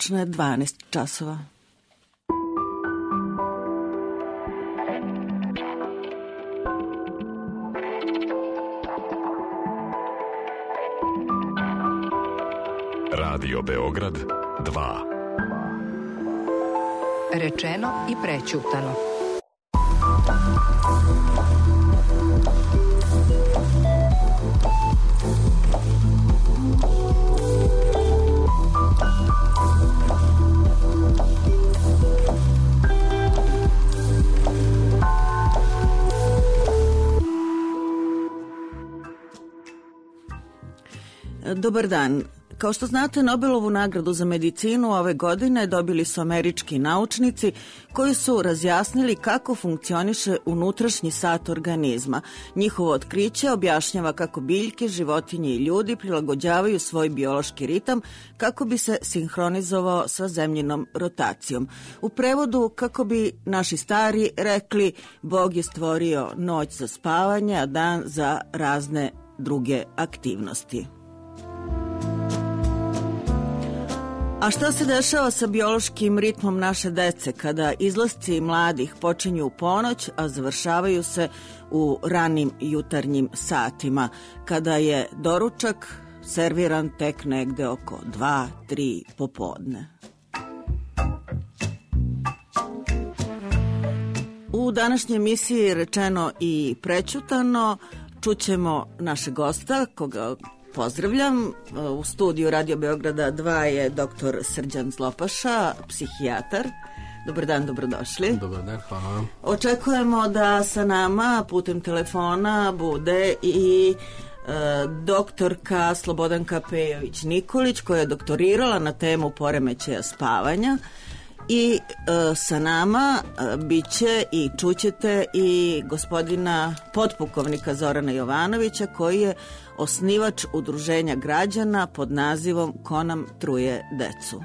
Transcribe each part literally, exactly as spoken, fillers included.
tačno je dvanaest časova. Radio Beograd dva. Rečeno i prećutano. Dobar dan. Kao što znate, Nobelovu nagradu za medicinu ove godine dobili su američki naučnici koji su razjasnili kako funkcioniše unutrašnji sat organizma. Njihovo otkriće objašnjava kako biljke, životinje i ljudi prilagođavaju svoj biološki ritam kako bi se sinhronizovao sa zemljinom rotacijom. U prevodu, kako bi naši stari rekli, Bog je stvorio noć za spavanje, a dan za razne druge aktivnosti. A šta se dešava sa biološkim ritmom naše dece kada izlasci mladih počinju u ponoć, a završavaju se u ranim jutarnjim satima, kada je doručak serviran tek negde oko dva, tri popodne? U današnjoj emisiji Rečeno i prećutano čućemo našeg gosta, koga pozdravljam. U studiju Radio Beograda dva je doktor Srđan Zlopaša, psihijatar. Dobar dan, dobrodošli. Dobar dan, hvala vam. Očekujemo da sa nama putem telefona bude i e, doktorka Slobodanka Pejović-Nikolić, koja je doktorirala na temu poremećaja spavanja. I e, sa nama e, bit će i čućete i gospodina potpukovnika Zorana Jovanovića, koji je osnivač udruženja građana pod nazivom Ko nam truje decu.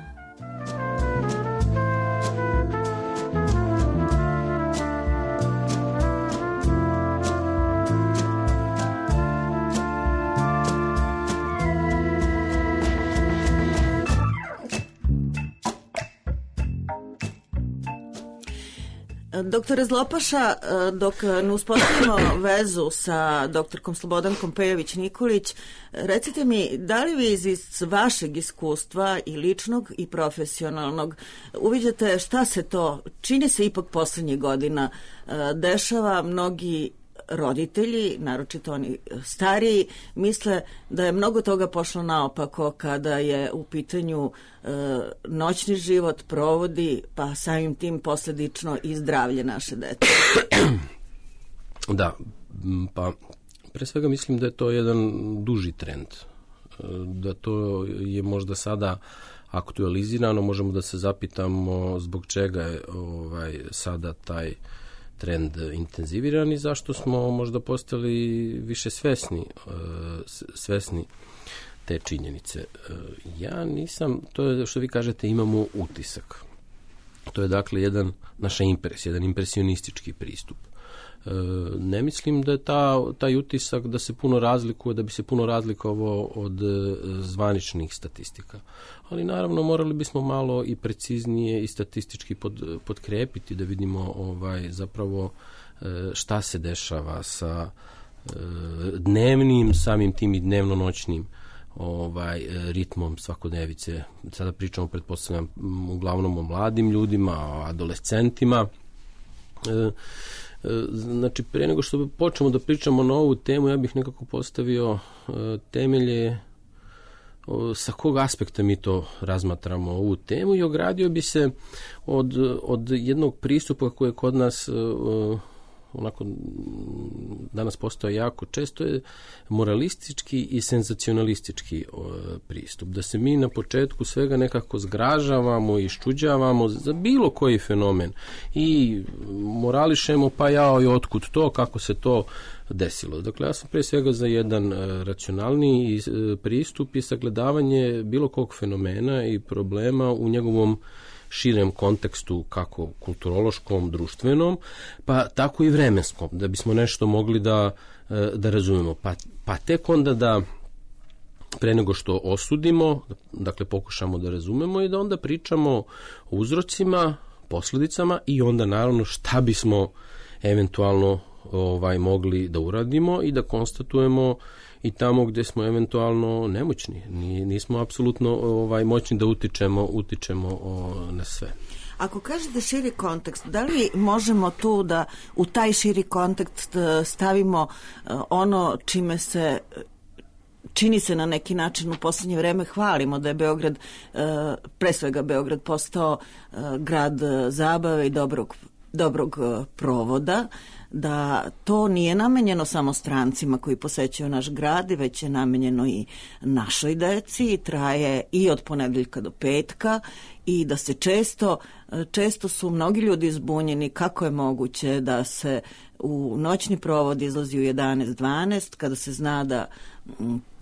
Doktore Zlopaša, dok ne uspostavimo vezu sa doktorkom Slobodankom Pejović-Nikolić, recite mi, da li vi iz vašeg iskustva i ličnog i profesionalnog uviđate šta se to, čini se ipak poslednjih godina, dešava? Mnogi roditelji, naročito oni stariji, misle da je mnogo toga pošlo naopako kada je u pitanju e, noćni život, provodi, pa samim tim posledično i zdravlje naše dece. Da, pa pre svega mislim da je to jedan duži trend. Da to je možda sada aktualizirano, možemo da se zapitamo zbog čega je ovaj, sada taj trend intenziviran i zašto smo možda postali više svesni, svesni te činjenice. Ja nisam, to je što vi kažete, imamo utisak. To je dakle jedan naša impresija, jedan impresionistički pristup. Ne mislim da je ta, taj utisak da se puno razlikuje, da bi se puno razlikovao od zvaničnih statistika. Ali naravno morali bismo malo i preciznije i statistički pod, podkrepiti da vidimo ovaj, zapravo šta se dešava sa dnevnim, samim tim i dnevno-noćnim ovaj, ritmom svakodnevice. Sada pričamo, pretpostavljam, uglavnom o mladim ljudima, o adolescentima. Znači, pre nego što počnemo da pričamo na ovu temu, ja bih nekako postavio temelje sa kog aspekta mi to razmatramo ovu temu i ogradio bi se od, od jednog pristupa koji je kod nas onako danas postoje jako često, je moralistički i senzacionalistički pristup. Da se mi na početku svega nekako zgražavamo i iščuđavamo za bilo koji fenomen i morališemo, pa jao i otkud to, kako se to desilo. Dakle, ja sam pre svega za jedan racionalni pristup i sagledavanje bilo kog fenomena i problema u njegovom širem kontekstu, kako kulturološkom, društvenom, pa tako i vremenskom, da bismo nešto mogli da, da razumemo. Pa, pa tek onda da pre nego što osudimo, dakle pokušamo da razumemo i da onda pričamo o uzrocima, posljedicama i onda naravno šta bismo eventualno ovaj mogli da uradimo i da konstatujemo i tamo gde smo eventualno nemoćni. Nismo apsolutno ovaj moćni da utičemo, utičemo o, na sve. Ako kažete širi kontekst, da li možemo tu da u taj širi kontekst stavimo ono čime se čini se na neki način u posljednje vreme hvalimo da je Beograd, pre svega Beograd postao grad zabave i dobrog, dobrog provoda, da to nije namenjeno samo strancima koji posećuju naš grad, već je namenjeno i našoj deci i traje i od ponedeljka do petka i da se često, često su mnogi ljudi zbunjeni kako je moguće da se u noćni provod izlazi u jedanaest dvanaest kada se zna da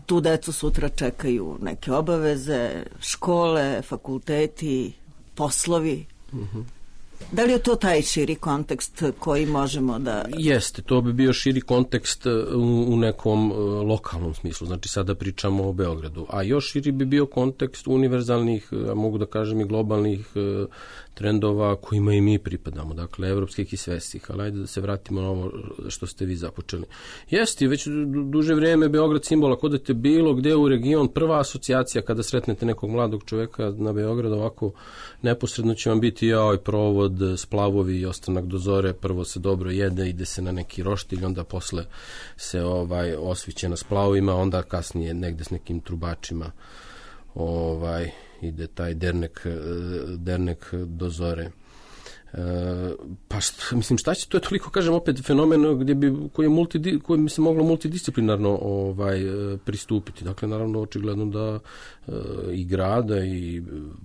tu decu sutra čekaju neke obaveze, škole, fakulteti, poslovi. Mhm. Da li je to taj širi kontekst koji možemo da... Jeste, to bi bio širi kontekst u, u nekom lokalnom smislu, znači sada pričamo o Beogradu, a još širi bi bio kontekst univerzalnih, a mogu da kažem i globalnih trendova kojima i mi pripadamo, dakle evropskih i svetskih, ali ajde da se vratimo na ovo što ste vi započeli. Jeste, već duže vrijeme Beograd simbol, ako odete bilo gde u region, prva asocijacija kada sretnete nekog mladog čoveka na Beograd, ovako neposredno će vam biti joj provod, splavovi i ostanak do zore, prvo se dobro jede, ide se na neki roštilj, onda posle se ovaj osviće na splavovima, onda kasnije negde s nekim trubačima ovaj ide taj dernek, dernek do zore. E, pa šta, mislim šta će, to je toliko, kažem opet, fenomen gdje bi, koji, je multi, koji bi se moglo multidisciplinarno ovaj, pristupiti. Dakle, naravno, očigledno da e, i grada i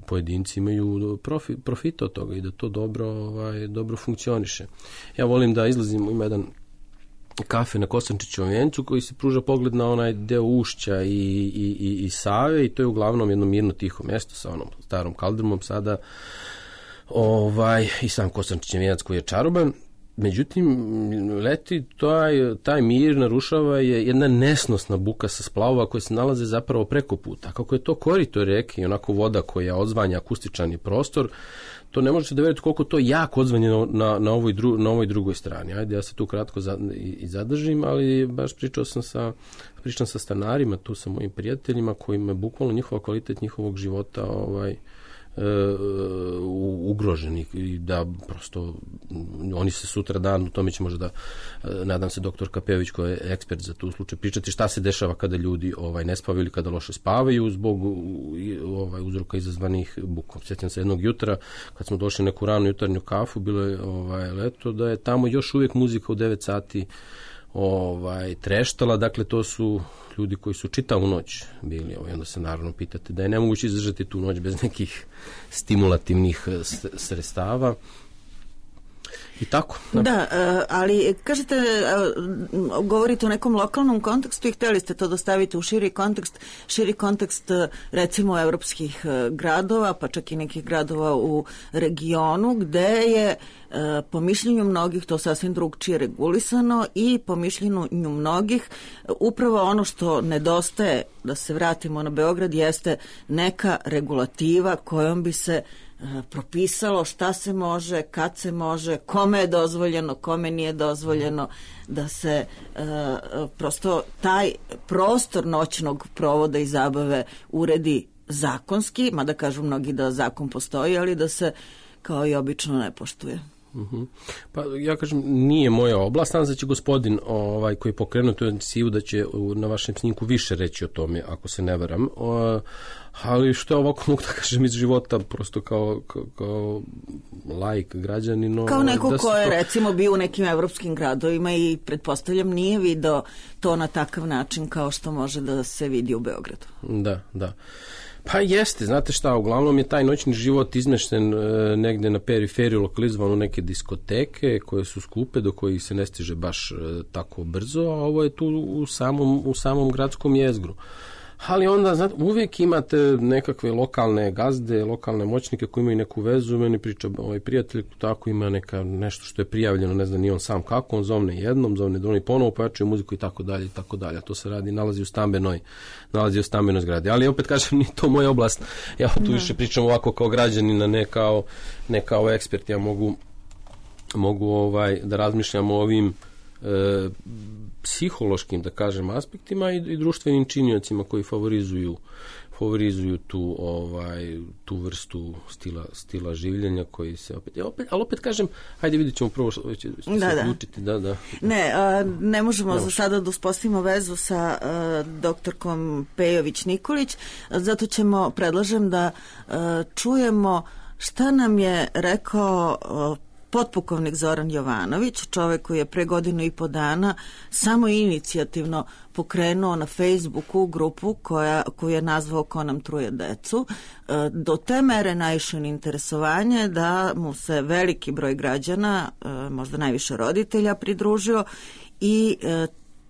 pojedinci imaju profit, profita od toga i da to dobro, ovaj, dobro funkcioniše. Ja volim da izlazim, ima jedan kafe na Kosančićevom vencu koji se pruža pogled na onaj deo Ušća i, i, i, i Save i to je uglavnom jedno mirno tiho mjesto sa onom starom kaldrmom sada ovaj, i sam Kosančićev venac koji je čaroban. Međutim, leti taj, taj mir narušava je jedna nesnosna buka sa splavova koje se nalaze zapravo preko puta. Kako je to korito reke i onako voda koja odzvanja akustičan prostor, to ne možete da verujete koliko to jako odzvanje na, na, ovoj, dru, na ovoj drugoj strani. Ajde, ja se tu kratko za, i, i zadržim, ali baš pričao sam sa, pričam sa stanarima, tu sa mojim prijateljima kojima je bukvalno njihova kvalitet njihovog života ovaj, e, ugroženi i da prosto oni se sutra dan, u tome će možda da, nadam se doktor Kapević koji je ekspert za tu slučaj, pričati šta se dešava kada ljudi ovaj, ne spavaju ili kada loše spavaju zbog ovaj, uzroka izazvanih bukom. Sjećam se jednog jutra kad smo došli neku ranu jutarnju kafu, bilo je ovaj, leto, da je tamo još uvijek muzika u devet sati ovaj, treštala, dakle to su ljudi koji su čitavu noć bili, ovaj, onda se naravno pitate da je nemoguće izdržati tu noć bez nekih stimulativnih sredstava. I tako. Da, ali kažete, govorite o nekom lokalnom kontekstu i htjeli ste to da stavite u širi kontekst, širi kontekst recimo evropskih gradova, pa čak i nekih gradova u regionu, gde je po mišljenju mnogih to sasvim drugčije regulisano i po mišljenju mnogih upravo ono što nedostaje, da se vratimo na Beograd, jeste neka regulativa kojom bi se propisalo šta se može, kad se može, kome je dozvoljeno, kome nije dozvoljeno, da se e, prosto taj prostor noćnog provoda i zabave uredi zakonski, mada kažu mnogi da zakon postoji, ali da se kao i obično ne poštuje. Uh-huh. Pa ja kažem, nije moja oblast, znam da će gospodin ovaj, koji je pokrenuo tu inicijativu da će na vašem snimku više reći o tome, ako se ne varam, o, ali što je ovako mogu da kažem iz života, prosto kao, kao, kao laik građanin. Kao neko da ko je to... recimo bio u nekim evropskim gradovima i pretpostavljam nije video to na takav način kao što može da se vidi u Beogradu. Da, da. Pa jeste, znate šta, uglavnom je taj noćni život izmešten e, negde na periferiju, lokalizovan u neke diskoteke koje su skupe, do kojih se ne stiže baš e, tako brzo, a ovo je tu u samom, u samom gradskom jezgru. Ali onda, znate, uvijek imate nekakve lokalne gazde, lokalne moćnike koji imaju neku vezu. Meni priča ovaj prijatelj, tako ima neka, nešto što je prijavljeno, ne znam ni on sam kako, on zovne jednom, zovne drugom, ponovo pojačuje muziku i tako dalje i tako dalje. To se radi, nalazi u stambenoj, nalazi u stambenoj zgradi. Ali opet kažem, ni to moja oblast. Ja tu više pričam ovako kao građanina, ne kao, ne kao ekspert. Ja mogu, mogu ovaj, da razmišljam o ovim e, psihološkim, da kažem, aspektima i, i društvenim činiocima koji favorizuju favorizuju tu ovaj tu vrstu stila stila življenja koji se opet, ja opet ali opet kažem, ajde vidjet ćemo prvo što će se odlučiti, da, da. Ne, a, ne možemo ne za sada da uspostavimo vezu sa a, doktorkom Pejović Nikolić, zato ćemo, predlažem da a, čujemo šta nam je rekao a, potpukovnik Zoran Jovanović, čovjek koji je pre godinu i po dana samo inicijativno pokrenuo na Facebooku grupu koja, koju je nazvao Ko nam truje decu. Do te mere naišao na interesovanje da mu se veliki broj građana, možda najviše roditelja, pridružio i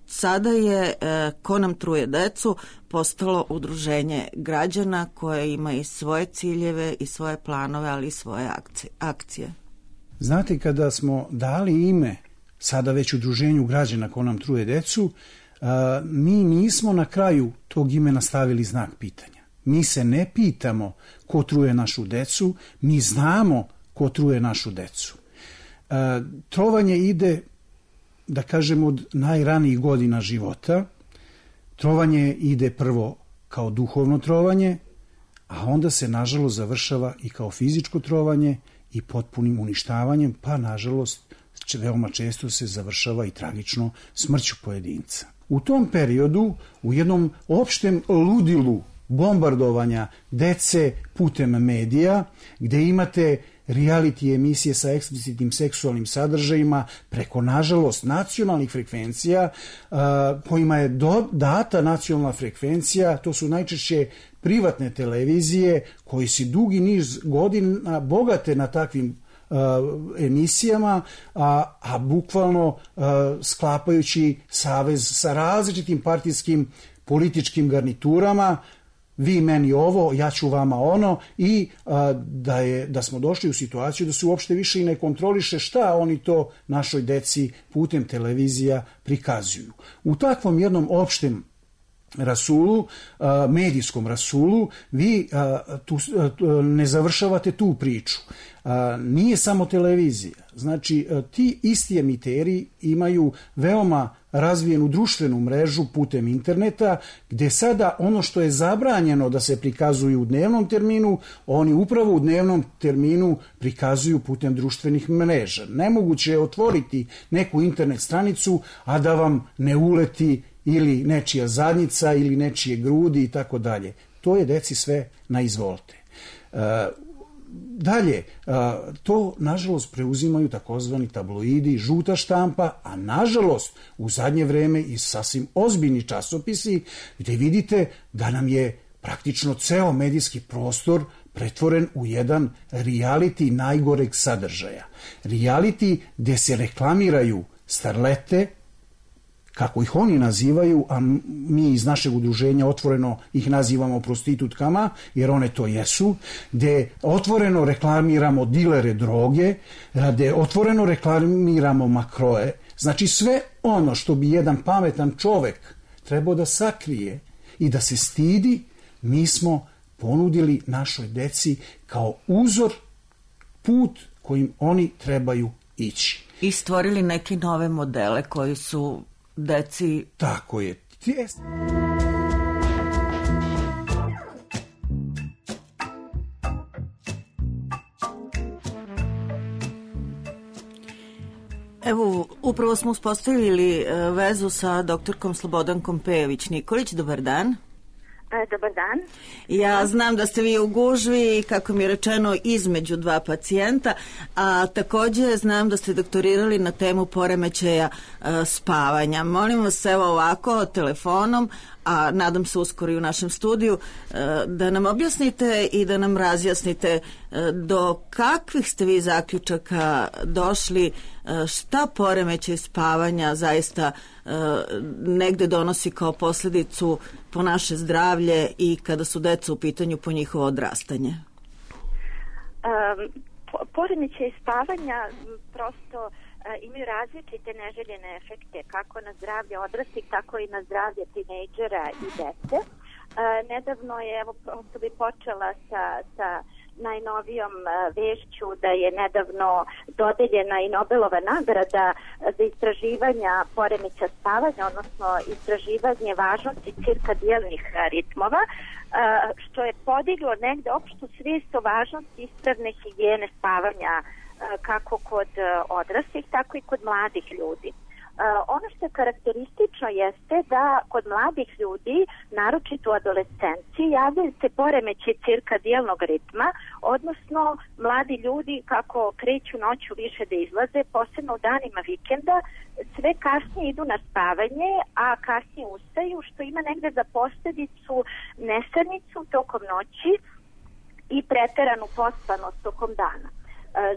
sada je Ko nam truje decu postalo udruženje građana koje ima i svoje ciljeve i svoje planove, ali i svoje akcije. Znate, kada smo dali ime sada već udruženju građana Ko nam truje decu, a, mi nismo na kraju tog imena stavili znak pitanja. Mi se ne pitamo ko truje našu decu, mi znamo ko truje našu decu. A, trovanje ide, da kažem, od najranijih godina života. Trovanje ide prvo kao duhovno trovanje, a onda se nažalost završava i kao fizičko trovanje i potpunim uništavanjem, pa nažalost veoma često se završava i tragično smrću pojedinca. U tom periodu, u jednom opštem ludilu bombardovanja dece putem medija, gde imate reality emisije sa eksplicitnim seksualnim sadržajima preko, nažalost, nacionalnih frekvencija, kojima je do, data nacionalna frekvencija, to su najčešće privatne televizije koji se dugi niz godina bogate na takvim uh, emisijama, a, a bukvalno uh, sklapajući savez sa različitim partijskim političkim garniturama, vi meni ovo, ja ću vama ono, i a, da, je, da smo došli u situaciju da se uopšte više i ne kontroliše šta oni to našoj deci putem televizija prikazuju. U takvom jednom opštem rasulu, medijskom rasulu, vi tu, ne završavate tu priču. Nije samo televizija. Znači, ti isti emiteri imaju veoma razvijenu društvenu mrežu putem interneta, gde sada ono što je zabranjeno da se prikazuju u dnevnom terminu, oni upravo u dnevnom terminu prikazuju putem društvenih mreža. Nemoguće je otvoriti neku internet stranicu, a da vam ne uleti ili nečija zadnjica ili nečije grudi i tako dalje. To je deci sve na izvolte. E, dalje, e, to nažalost preuzimaju takozvani tabloidi, žuta štampa, a nažalost u zadnje vreme i sasvim ozbiljni časopisi gdje vidite da nam je praktično ceo medijski prostor pretvoren u jedan reality najgoreg sadržaja. Reality gdje se reklamiraju starlete, kako ih oni nazivaju, a mi iz našeg udruženja otvoreno ih nazivamo prostitutkama, jer one to jesu, gde otvoreno reklamiramo dilere droge, gde otvoreno reklamiramo makroe. Znači sve ono što bi jedan pametan čovek trebao da sakrije i da se stidi, mi smo ponudili našoj deci kao uzor, put kojim oni trebaju ići. I stvorili neke nove modele koji su deci... Tako je. Evo, upravo smo uspostavili vezu sa doktorkom Slobodankom Pejović Nikolić. Dobar dan. Dobar dan. Ja znam da ste vi u gužvi, kako mi je rečeno, između dva pacijenta, a također znam da ste doktorirali na temu poremećaja e, spavanja. Molim vas, evo ovako, telefonom, a nadam se uskoro i u našem studiju, da nam objasnite i da nam razjasnite do kakvih ste vi zaključaka došli, šta poremećaj spavanja zaista negde donosi kao posljedicu po naše zdravlje i kada su deca u pitanju po njihovo odrastanje. Um, poremećaj spavanja prosto imaju različite neželjene efekte kako na zdravlje odraslih, tako i na zdravlje tinejdžera i dece. E, nedavno je, evo, prosto bi počela sa, sa najnovijom vešću da je nedavno dodeljena i Nobelova nagrada za istraživanja poremeća spavanja, odnosno istraživanje važnosti cirkadijalnih ritmova, što je podiglo negde opštu svijest o važnosti ispravne higijene spavanja kako kod odraslih, tako i kod mladih ljudi. Ono što je karakteristično jeste da kod mladih ljudi, naročito u adolescenciji, javljaju se poremeći cirkadijalnog ritma, odnosno mladi ljudi kako kreću noću više da izlaze, posebno u danima vikenda, sve kasnije idu na spavanje, a kasnije ustaju, što ima negde za posljedicu nesanicu tokom noći i preteranu pospanost tokom dana.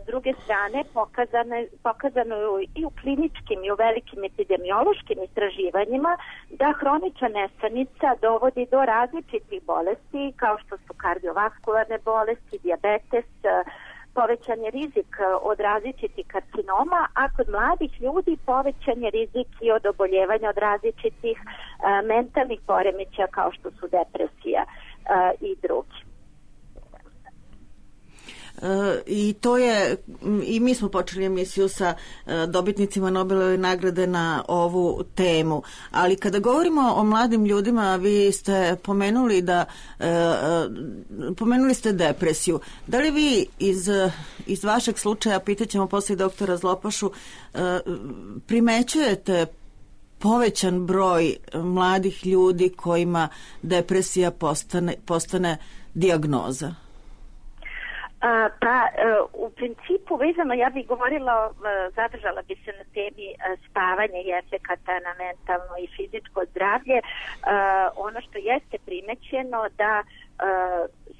S druge strane, pokazano, pokazano je i u kliničkim i u velikim epidemiološkim istraživanjima da hronična nesanica dovodi do različitih bolesti kao što su kardiovaskularne bolesti, dijabetes, povećan je rizik od različitih karcinoma, a kod mladih ljudi povećan je rizik i od oboljevanja od različitih uh, mentalnih poremećaja kao što su depresija uh, i drugi. I to je, i mi smo počeli emisiju sa dobitnicima Nobelove nagrade na ovu temu, ali kada govorimo o mladim ljudima, vi ste pomenuli da pomenuli ste depresiju. Da li vi iz, iz vašeg slučaja, pitaćemo posle doktora Zlopašu, primećujete povećan broj mladih ljudi kojima depresija postane, postane dijagnoza? A, pa, u principu, vezano, ja bih govorila, zadržala bi se na temi spavanja i efekata na mentalno i fizičko zdravlje. Ono što jeste primećeno da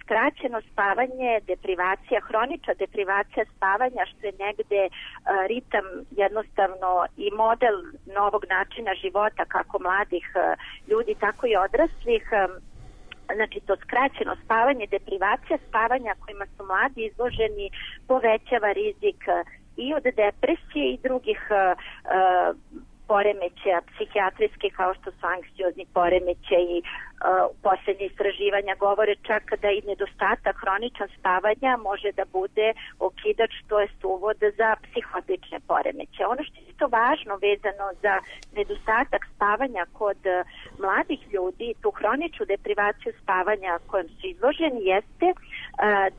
skraćeno spavanje, deprivacija, hronična deprivacija spavanja, što je negde ritam jednostavno i model novog načina života kako mladih ljudi, tako i odraslih. Znači, to skraćeno spavanje, deprivacija spavanja kojima su mladi izloženi povećava rizik i od depresije i drugih uh, poremećaja psihijatrijskih kao što su anksiozni poremećaji. Uh, posljednje istraživanja govore čak da i nedostatak hroničan spavanja može da bude okidač, to jest uvod za psihotične poremećaje. Ono što je isto važno vezano za nedostatak spavanja kod uh, mladih ljudi, tu hroničnu deprivaciju spavanja kojom su izloženi, jeste uh,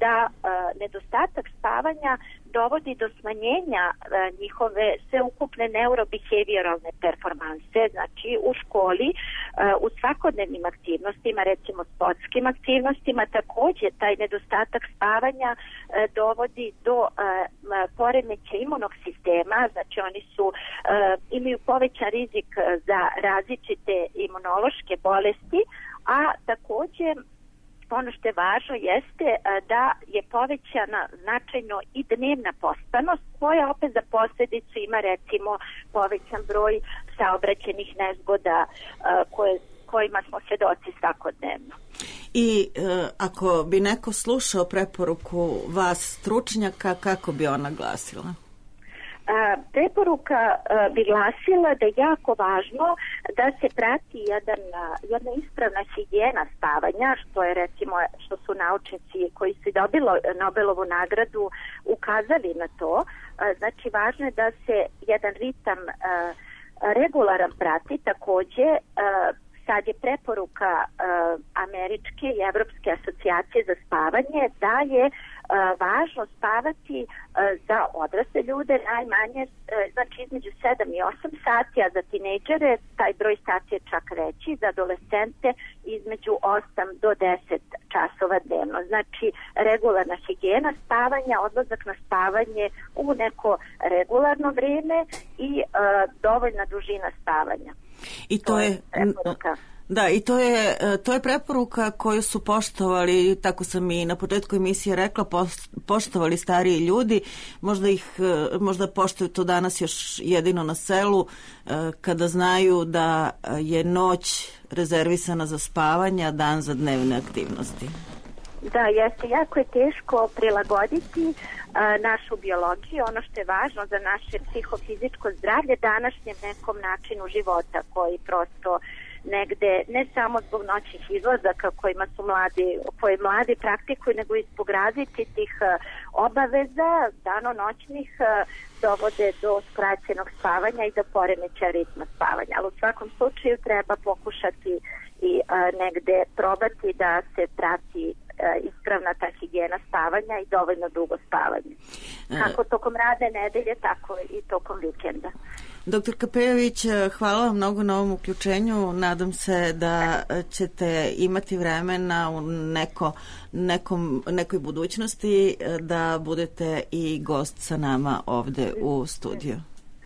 da uh, nedostatak spavanja dovodi do smanjenja uh, njihove sveukupne neurobehavioralne performanse, znači u školi, uh, u svakodnevnim aktivnostima, recimo sportskim aktivnostima. Također taj nedostatak spavanja uh, dovodi do uh, poremeća imunog sistema, znači oni su uh, imaju povećan rizik za različite imunološke bolesti, a također ono što je važno jeste da je povećana značajno i dnevna pospanost, koja opet za posljedicu ima recimo povećan broj saobraćajnih nezgoda koje, kojima smo svedoci svakodnevno. I e, ako bi neko slušao preporuku vas stručnjaka, kako bi ona glasila? A, preporuka a, bi glasila da je jako važno da se prati jedan, a, jedna ispravna higijena spavanja, što je recimo što su naučnici koji su dobili Nobelovu nagradu ukazali na to. A, znači važno je da se jedan ritam a, regularan prati. Također a, sad je preporuka uh, američke i evropske asocijacije za spavanje da je uh, važno spavati uh, za odrasle ljude najmanje, uh, znači između sedam i osam sati, a za tinejdžere taj broj sati je čak veći, za adolescente između osam do deset časova dnevno. Znači regularna higijena spavanja, odlazak na spavanje u neko regularno vrijeme i uh, dovoljna dužina spavanja. I to, to je, Da, i to je, to je preporuka koju su poštovali, tako sam i na početku emisije rekla, poštovali stariji ljudi, možda ih, možda poštuju to danas još jedino na selu, kada znaju da je noć rezervisana za spavanje, a dan za dnevne aktivnosti. Da, jeste, jako je teško prilagoditi a, našu biologiju, ono što je važno za naše psihofizičko zdravlje današnjem nekom načinu života koji prosto negde, ne samo zbog noćnih izlazaka kojima su mladi, koje mladi praktikuju, nego i zbog različitih obaveza danonoćnih dovode do skraćenog spavanja i do poremećaja ritma spavanja. Ali u svakom slučaju treba pokušati i a, negde probati da se prati ispravna ta higijena spavanja i dovoljno dugo spavanje. Kako tokom radne nedelje, tako i tokom vikenda. Doktorka Pejović, hvala vam mnogo na ovom uključenju. Nadam se da ćete imati vremena u neko, nekom, nekoj budućnosti da budete i gost sa nama ovde u studiju.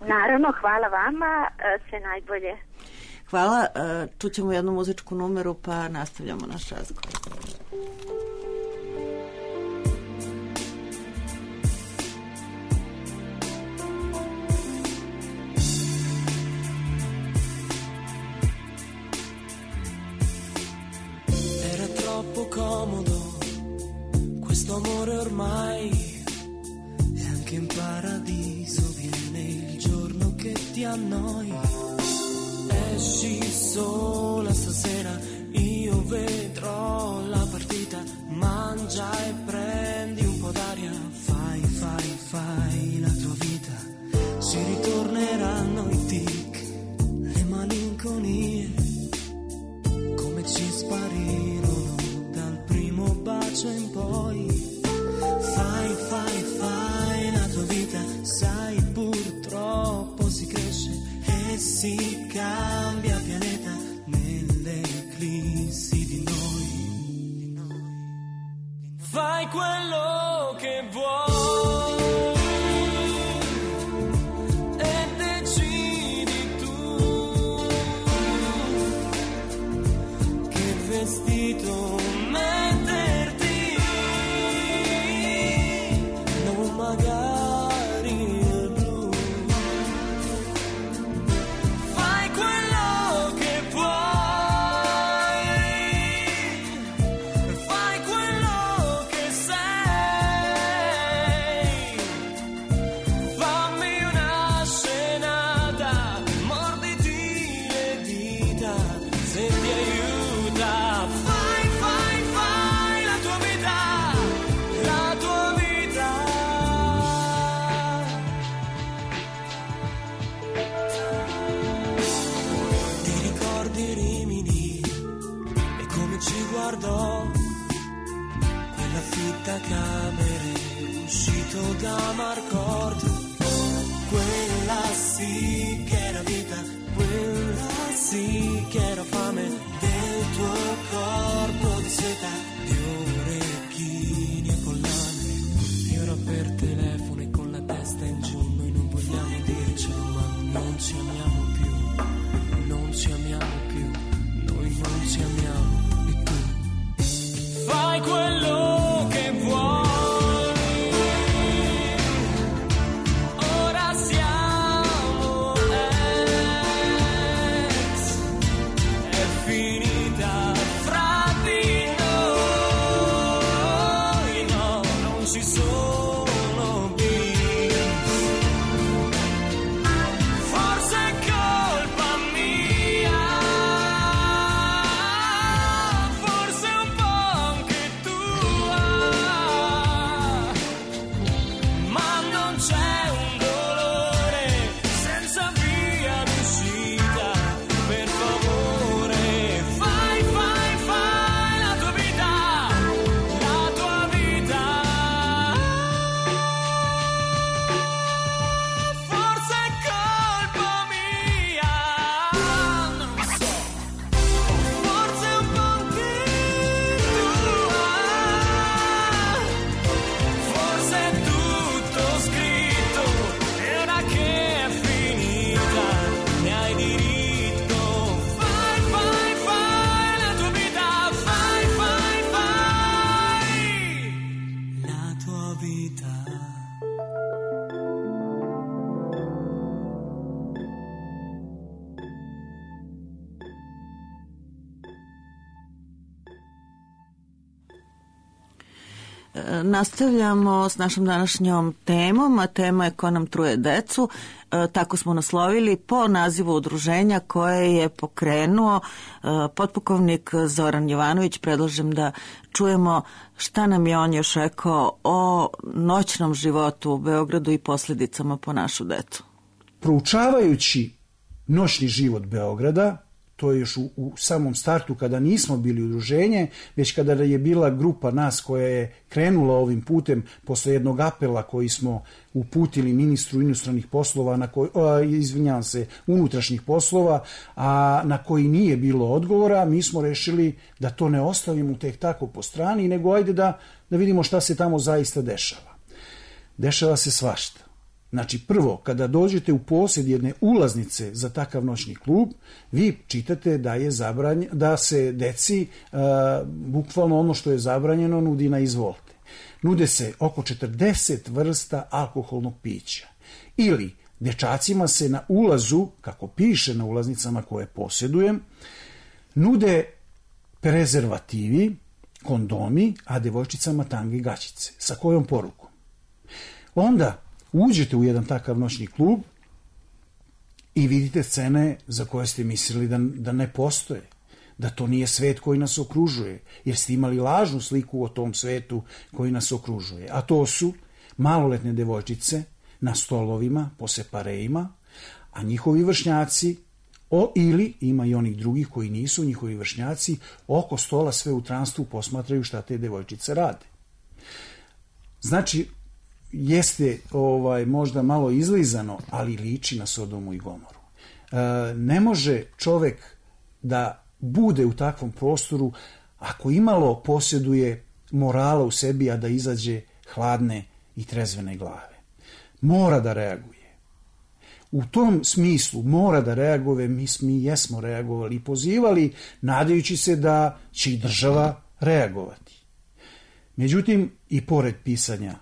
Naravno, hvala vama. Sve najbolje. Hvala. Čućemo jednu muzičku numeru pa nastavljamo naš razgovor. Comodo, questo amore ormai è anche in paradiso, viene il giorno che ti annoi, esci sola stasera, io vedrò la partita, mangia e prendi un po' d'aria, fai, fai, fai la tua vita, si ritorneranno i tic, le malinconie, come ci sparirono bacio in poi, fai, fai, fai la tua vita, sai purtroppo si cresce e si cambia pianeta nelle eclissi di noi, di noi. Fai quello che vuoi e decidi tu che vestito camere, uscito da Marcord, quella sì che era vita, quella sì che era fame del tuo corpo di seta, di orecchini e collane, e ora per telefono e con la testa in giù, noi non vogliamo dircelo, ma non ci amiamo più, non ci amiamo più, noi non ci amiamo, e tu fai quello che vuoi. Ora siamo ex, è finita fra di noi, no, non ci sono beef. Forse è colpa mia, forse un po' anche tua, ma non c'è un dolore senza via d'uscita, per favore fai, fai, fai la tua vita, la tua vita. vita. Nastavljamo s našom današnjom temom, a tema je Ko nam truje decu. E, tako smo naslovili po nazivu udruženja koje je pokrenuo e, potpukovnik Zoran Jovanović. Predlažem da čujemo šta nam je on još rekao o noćnom životu u Beogradu i posljedicama po našu decu. Proučavajući noćni život Beograda, to je još u, u samom startu kada nismo bili udruženje, već kada je bila grupa nas koja je krenula ovim putem posle jednog apela koji smo uputili ministru inostranih poslova, na koji, a, izvinjavam se, unutrašnjih poslova, a na koji nije bilo odgovora, mi smo rešili da to ne ostavimo tek tako po strani, nego ajde da, da vidimo šta se tamo zaista dešava. Dešava se svašta. Znači, prvo, kada dođete u posjed jedne ulaznice za takav noćni klub, vi čitate da je zabranjeno, da se deci uh, bukvalno ono što je zabranjeno nudi na izvolte. Nude se oko četrdeset vrsta alkoholnog pića. Ili dečacima se na ulazu, kako piše na ulaznicama koje posjedujem, nude prezervativi, kondomi, a devojčicama tange i gaćice. Sa kojom porukom? Onda uđete u jedan takav noćni klub i vidite scene za koje ste mislili da, da ne postoje, da to nije svet koji nas okružuje, jer ste imali lažnu sliku o tom svetu koji nas okružuje. A to su maloletne devojčice na stolovima, po separejima, a njihovi vršnjaci, o, ili ima i onih drugih koji nisu njihovi vršnjaci, oko stola sve u transtvu posmatraju šta te devojčice rade. Znači, jeste ovaj možda malo izlizano, ali liči na Sodomu i Gomoru. E, ne može čovek da bude u takvom prostoru ako imalo posjeduje morala u sebi, a da izađe hladne i trezvene glave. Mora da reaguje. U tom smislu mora da reaguje, mi, mi jesmo reagovali i pozivali, nadajući se da će i država reagovati. Međutim, i pored pisanja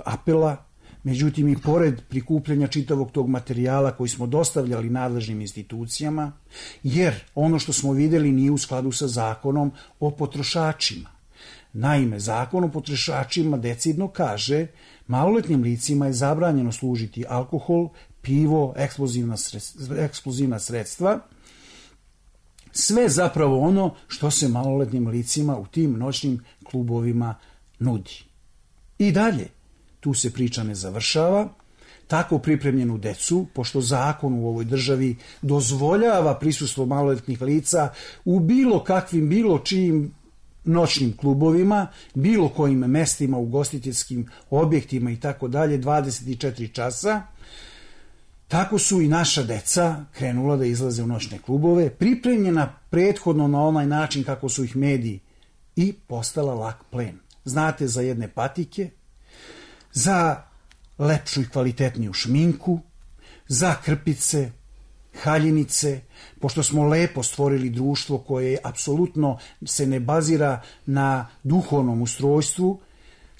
apela, međutim i pored prikupljanja čitavog tog materijala koji smo dostavljali nadležnim institucijama, jer ono što smo vidjeli nije u skladu sa zakonom o potrošačima. Naime, zakon o potrošačima decidno kaže maloletnim licima je zabranjeno služiti alkohol, pivo, eksplozivna sredstva, eksplozivna sredstva, sve zapravo ono što se maloletnim licima u tim noćnim klubovima nudi. I dalje, tu se priča ne završava, tako pripremljenu decu, pošto zakon u ovoj državi dozvoljava prisustvo maloletnih lica u bilo kakvim, bilo čijim noćnim klubovima, bilo kojim mestima, ugostiteljskim objektima i tako dalje, dvadeset četiri časa, tako su i naša deca krenula da izlaze u noćne klubove, pripremljena prethodno na onaj način kako su ih mediji, i postala lak plen. Znate za jedne patike, za lepšu i kvalitetniju šminku, za krpice, haljinice, pošto smo lepo stvorili društvo koje apsolutno se ne bazira na duhovnom ustrojstvu,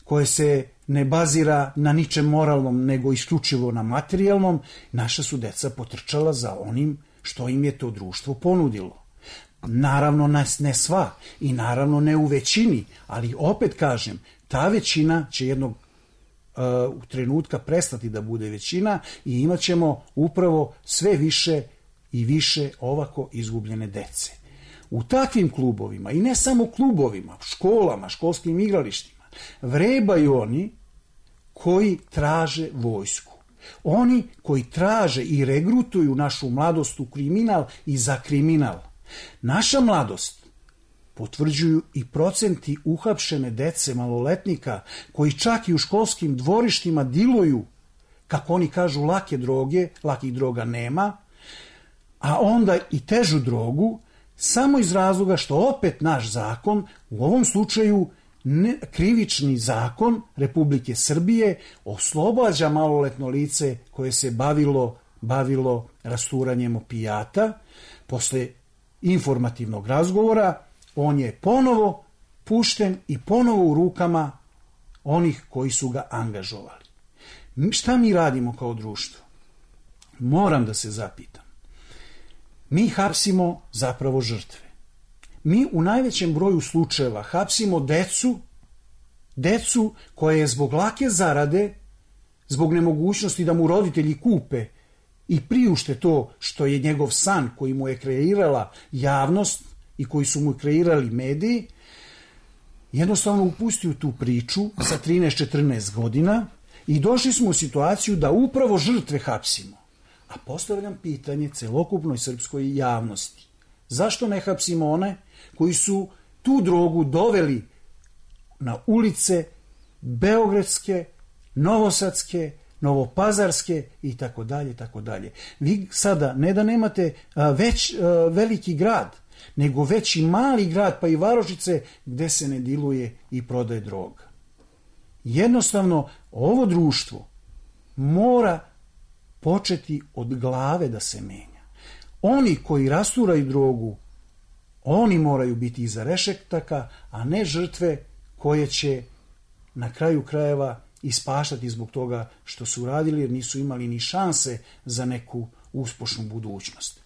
koje se ne bazira na ničem moralnom, nego isključivo na materijalnom, naša su deca potrčala za onim što im je to društvo ponudilo. Naravno ne sva i naravno ne u većini, ali opet kažem, ta većina će jednog u trenutka prestati da bude većina i imat ćemo upravo sve više i više ovako izgubljene dece. U takvim klubovima, i ne samo klubovima, školama, školskim igralištima, vrebaju oni koji traže vojsku. Oni koji traže i regrutuju našu mladost u kriminal i za kriminal. Naša mladost potvrđuju i procenti uhapšene dece maloletnika koji čak i u školskim dvorištima diluju, kako oni kažu, lake droge, lakih droga nema, a onda i težu drogu, samo iz razloga što opet naš zakon, u ovom slučaju ne, krivični zakon Republike Srbije, oslobađa maloletno lice koje se bavilo, bavilo rasturanjem opijata. Posle informativnog razgovora on je ponovo pušten i ponovo u rukama onih koji su ga angažovali. Šta mi radimo kao društvo? Moram da se zapitam. Mi hapsimo zapravo žrtve. Mi u najvećem broju slučajeva hapsimo decu, decu koja je zbog lake zarade, zbog nemogućnosti da mu roditelji kupe i priušte to što je njegov san koji mu je kreirala javnost i koji su mu kreirali mediji, jednostavno upustio tu priču sa trinaest četrnaest godina i došli smo u situaciju da upravo žrtve hapsimo. A postavljam pitanje celokupnoj srpskoj javnosti. Zašto ne hapsimo one koji su tu drogu doveli na ulice beogradske, novosadske, novopazarske i tako dalje, tako dalje. Vi sada ne da nemate već veliki grad, nego već i mali grad, pa i varošice gde se ne diluje i prodaje droga. Jednostavno, ovo društvo mora početi od glave da se menja. Oni koji rasturaju drogu, oni moraju biti iza rešetaka, a ne žrtve koje će na kraju krajeva ispaštati zbog toga što su radili, jer nisu imali ni šanse za neku uspešnu budućnost.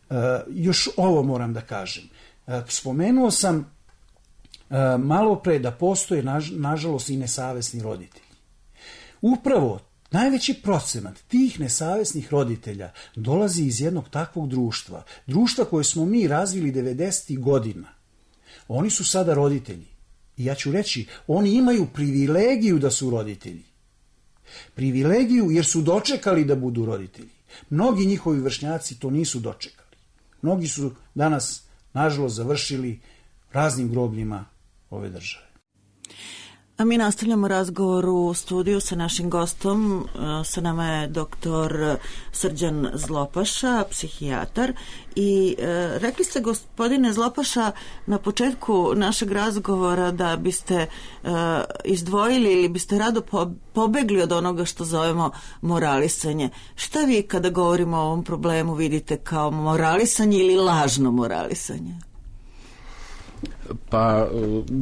E, još ovo moram da kažem. E, spomenuo sam e, malo pre da postoje, naž, nažalost, i nesavesni roditelji. Upravo najveći procenat tih nesavesnih roditelja dolazi iz jednog takvog društva. Društva koje smo mi razvili devedesetih godina. Oni su sada roditelji. I ja ću reći, oni imaju privilegiju da su roditelji. Privilegiju jer su dočekali da budu roditelji. Mnogi njihovi vršnjaci to nisu dočekali. Mnogi su danas, nažalost, završili raznim grobljima ove države. A mi nastavljamo razgovor u studiju sa našim gostom. Sa nama je doktor Srđan Zlopaša, psihijatar. I e, rekli ste, gospodine Zlopaša, na početku našeg razgovora da biste e, izdvojili ili biste rado po, pobegli od onoga što zovemo moralisanje. Šta vi kada govorimo o ovom problemu vidite kao moralisanje ili lažno moralisanje? Pa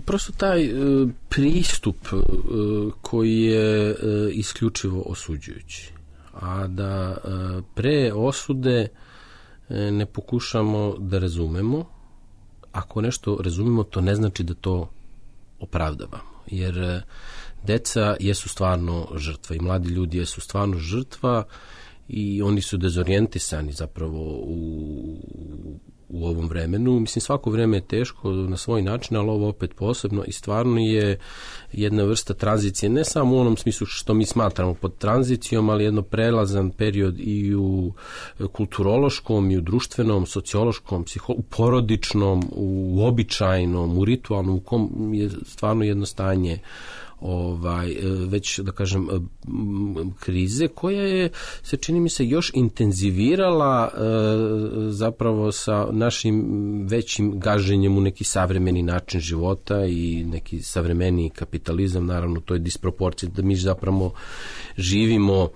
prosto taj pristup koji je isključivo osuđujući, a da pre osude ne pokušamo da razumemo. Ako nešto razumemo, to ne znači da to opravdavamo, jer deca jesu stvarno žrtva i mladi ljudi jesu stvarno žrtva i oni su dezorijentisani zapravo u u ovom vremenu. Mislim, svako vreme je teško na svoj način, ali ovo opet posebno i stvarno je jedna vrsta tranzicije, ne samo u onom smislu što mi smatramo pod tranzicijom, ali jedno prelazan period i u kulturološkom, i u društvenom, sociološkom, psiho, u porodičnom, u običajnom, u ritualnom, u kom je stvarno jedno stanje ovaj, već da kažem krize koja je, se čini mi se, još intenzivirala e, zapravo sa našim većim gaženjem u neki savremeni način života i neki savremeni kapitalizam, naravno to je disproporcija da mi zapravo živimo,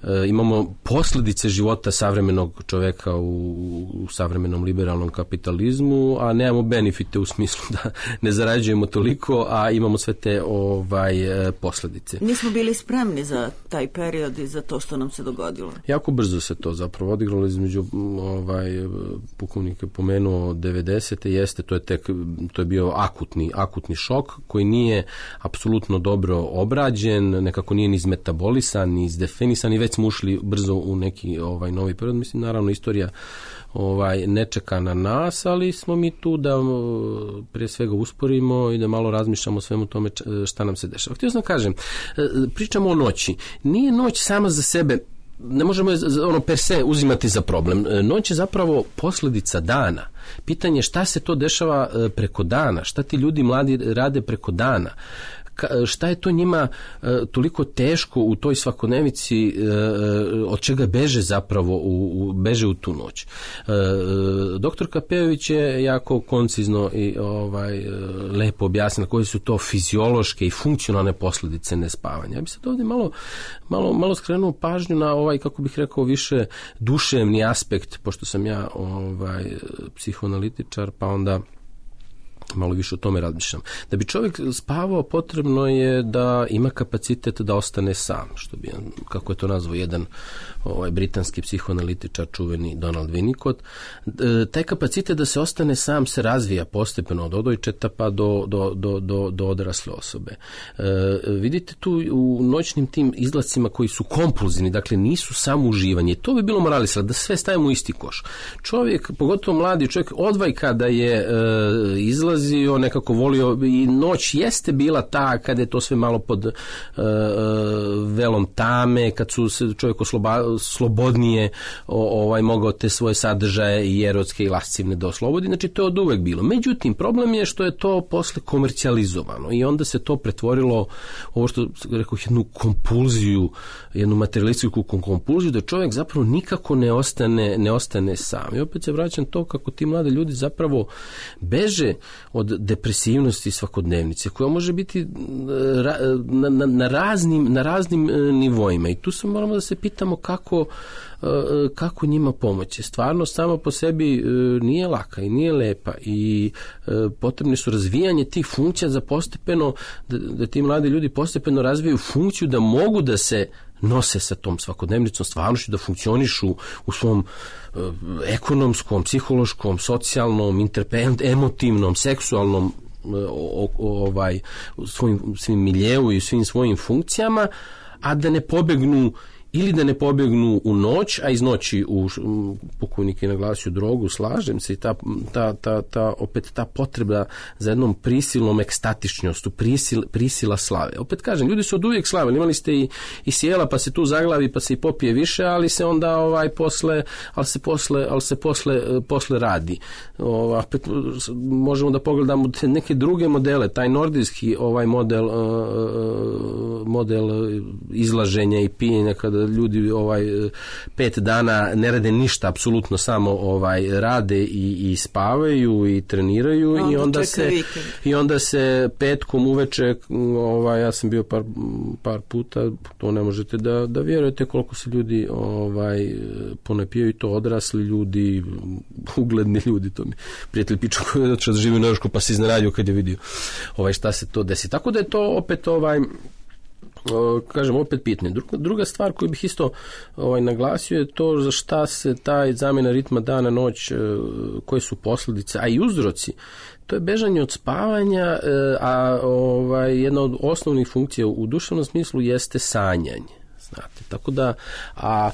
e, imamo posljedice života savremenog čoveka u, u savremenom liberalnom kapitalizmu, a nemamo benefite u smislu da ne zarađujemo toliko, a imamo sve te ovaj, posljedice. Nismo bili spremni za taj period i za to što nam se dogodilo. Jako brzo se to zapravo odigralo između, ovaj, pukovnik je pomenuo devedesete, jeste, to je tek, to je bio akutni, akutni šok koji nije apsolutno dobro obrađen, nekako nije ni izmetabolisan, ni izdefinisan i već smo ušli brzo u neki ovaj novi period. Mislim, naravno, istorija ovaj ne čeka na nas, ali smo mi tu da prije svega usporimo i da malo razmišljamo o svemu tome šta nam se dešava. Htio sam kažem, pričamo o noći. Nije noć sama za sebe, ne možemo je ono per se uzimati za problem. Noć je zapravo posljedica dana. Pitanje je šta se to dešava preko dana, šta ti ljudi mladi rade preko dana. Šta je to njima e, toliko teško u toj svakodnevici, e, od čega beže zapravo u, u, beže u tu noć. E, doktor Kapejović je jako koncizno i ovaj, lepo objasnila koje su to fiziološke i funkcionalne posljedice nespavanja. Ja bih sad ovdje malo, malo, malo skrenuo pažnju na ovaj, kako bih rekao, više duševni aspekt, pošto sam ja ovaj, psihoanalitičar, pa onda malo više o tome razmišljam. Da bi čovjek spavao, potrebno je da ima kapacitet da ostane sam, što bi, kako je to nazvao jedan ovaj britanski psihoanalitičar čuveni Donald Winnicott. E, taj kapacitet da se ostane sam se razvija postepeno od odojčeta pa do, do, do, do, do odrasle osobe. E, vidite tu u noćnim tim izlacima koji su kompulzivni, dakle nisu samo uživanje. To bi bilo moralisano, da sve stavimo u isti koš. Čovjek, pogotovo mladi čovjek, odvaj kada je e, izlazio, nekako volio, i noć jeste bila ta kada je to sve malo pod e, velom tame, kad su se čovjek osloba, slobodnije o, ovaj mogao te svoje sadržaje i erotske i lascivne da oslobodi, znači to je od uvek bilo. Međutim, problem je što je to posle komercijalizovano i onda se to pretvorilo ovo što rekao, jednu kompulziju, jednu materialističku kompulziju, da čovjek zapravo nikako ne ostane, ne ostane sam. I opet se vraćam to kako ti mladi ljudi zapravo beže od depresivnosti svakodnevnice, koja može biti na, na, na, raznim, na raznim nivoima. I tu se moramo da se pitamo kako, kako njima pomoći. Stvarno samo po sebi nije laka i nije lepa i potrebne su razvijanje tih funkcija za postepeno, da, da ti mladi ljudi postepeno razvijaju funkciju da mogu da se nose sa tom svakodnevnicom stvarnošću, da funkcionišu u svom e, ekonomskom, psihološkom, socijalnom, emotivnom, seksualnom o, o, ovaj, svojim, svim miljeu i svim svojim funkcijama, a da ne pobegnu ili da ne pobjegnu u noć, a iz noći u pokojnik je naglasio drogu, slažem se, i ta, ta, ta, ta, opet ta potreba za jednom prisilnom ekstatičnostu, prisil, prisila slave. Opet kažem, ljudi su od uvijek slavili, imali ste i, i sjela, pa se tu zaglavi, pa se i popije više, ali se onda ovaj posle, ali se posle, ali se posle, posle radi. O, opet možemo da pogledamo neke druge modele, taj nordijski ovaj model, model izlaženja i pijenja, kada ljudi ovaj pet dana ne rade ništa, apsolutno samo ovaj rade i, i spavaju i treniraju onda i onda se vikend. I onda se petkom uveče, ovaj ja sam bio par, par puta, to ne možete da da vjerujete koliko se ljudi ovaj ponapijaju, to odrasli ljudi, ugledni ljudi, to mi prijatelj pičo koji je da živi u Norveškoj pa se iznenadio kad je vidio ovaj šta se to desi. Tako da je to opet ovaj kažem opet pitanje. Druga, druga stvar koju bih isto ovaj, naglasio je to za šta se taj zamjena ritma dana noć, koje su posljedice, a i uzroci. To je bežanje od spavanja, a ovaj, jedna od osnovnih funkcija u duševnom smislu jeste sanjanje. Znate, tako da, a